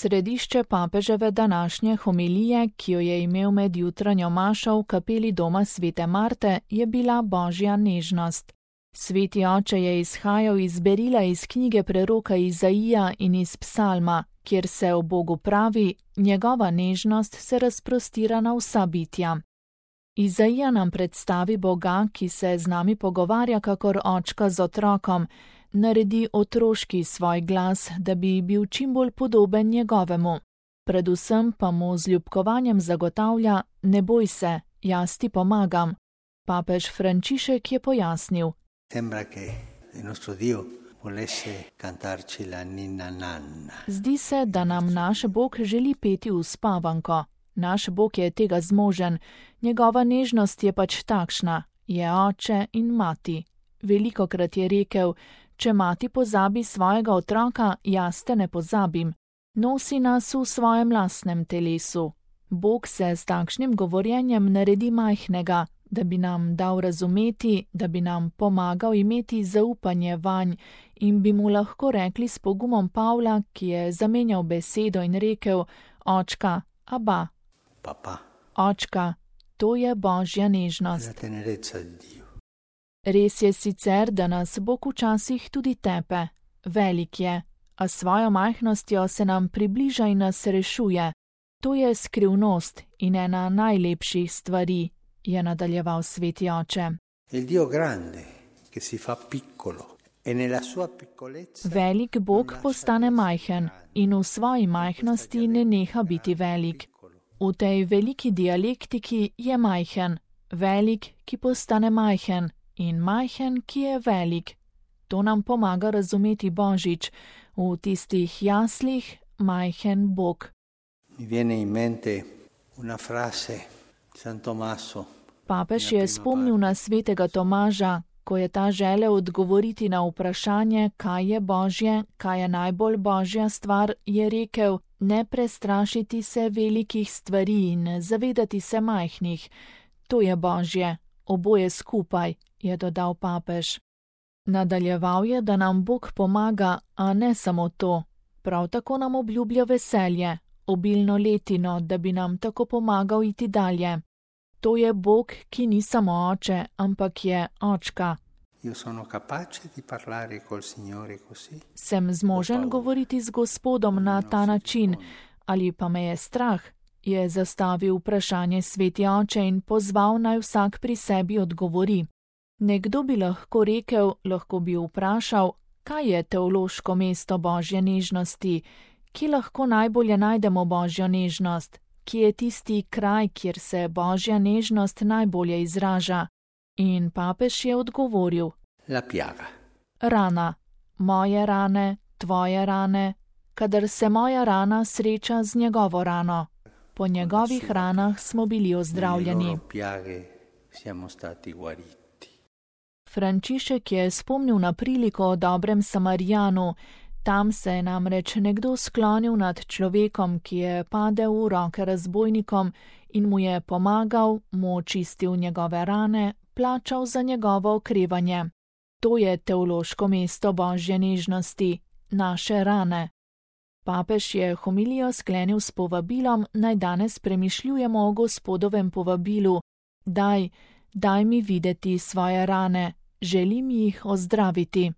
Središče papeževe današnje homilije, ki jo je imel med jutranjo mašo v kapeli doma svete Marte, je bila božja nežnost. Sveti oče je izhajal iz berila iz knjige preroka Izaija in iz psalma, kjer se o Bogu pravi, njegova nežnost se razprostira na vsa bitja. Izaija nam predstavi Boga, ki se z nami pogovarja kakor očka z otrokom, naredi otroški svoj glas, da bi bil čim bolj podoben njegovemu. Predvsem pa mu z ljubkovanjem zagotavlja: ne boj se, jaz ti pomagam. Papež Frančišek je pojasnil: zdi se, da nam naš Bog želi peti uspavanko. Naš Bog je tega zmožen, njegova nežnost je pač takšna, je oče in mati. Velikokrat je rekel: če mati pozabi svojega otroka, jaz te ne pozabim. Nosi nas v svojem lastnem telesu. Bog se s takšnim govorjenjem naredi majhnega, da bi nam dal razumeti, da bi nam pomagal imeti zaupanje vanj in bi mu lahko rekli s pogumom Pavla, ki je zamenjal besedo in rekel: očka, aba. Papa. Očka, to je božja nežnost. Res je sicer, da nas Bog včasih tudi tepe. Velik je, a svojo majhnostjo se nam približa in nas rešuje. To je skrivnost in ena najlepših stvari, je nadaljeval sveti oče. Velik Bog postane majhen in v svoji majhnosti ne neha biti velik. V tej veliki dialektiki je majhen, velik, ki postane majhen, in majhen, ki je velik. To nam pomaga razumeti Božič, v tistih jaslih majhen Bog. Papež je spomnil na svetega Tomaža, ko je ta želel odgovoriti na vprašanje, kaj je božje, kaj je najbolj božja stvar, je rekel: ne prestrašiti se velikih stvari in zavedati se majhnih. To je božje, oboje skupaj, je dodal papež. Nadaljeval je, da nam Bog pomaga, a ne samo to. Prav tako nam obljublja veselje, obilno letino, da bi nam tako pomagal iti dalje. To je Bog, ki ni samo oče, ampak je očka. Sem zmožen govoriti z Gospodom na ta način, ali pa me je strah? Je zastavil vprašanje sveti oče in pozval, naj vsak pri sebi odgovori. Nekdo bi lahko rekel, lahko bi vprašal, kaj je teološko mesto božje nežnosti, kje lahko najbolje najdemo božjo nežnost, kje je tisti kraj, kjer se božja nežnost najbolje izraža. In papež je odgovoril: rana, moje rane, tvoje rane, kadar se moja rana sreča z njegovo rano. Po njegovih ranah smo bili ozdravljeni. Frančišek je spomnil na priliko o dobrem Samarijanu. Tam se je namreč nekdo sklonil nad človekom, ki je padel v roke razbojnikom in mu je pomagal, mu očistil njegove rane, plačal za njegovo okrevanje. To je teološko mesto božje nežnosti, naše rane. Papež je homilijo sklenil s povabilom, naj danes premišljujemo o Gospodovem povabilu: daj mi videti svoje rane, želim jih ozdraviti.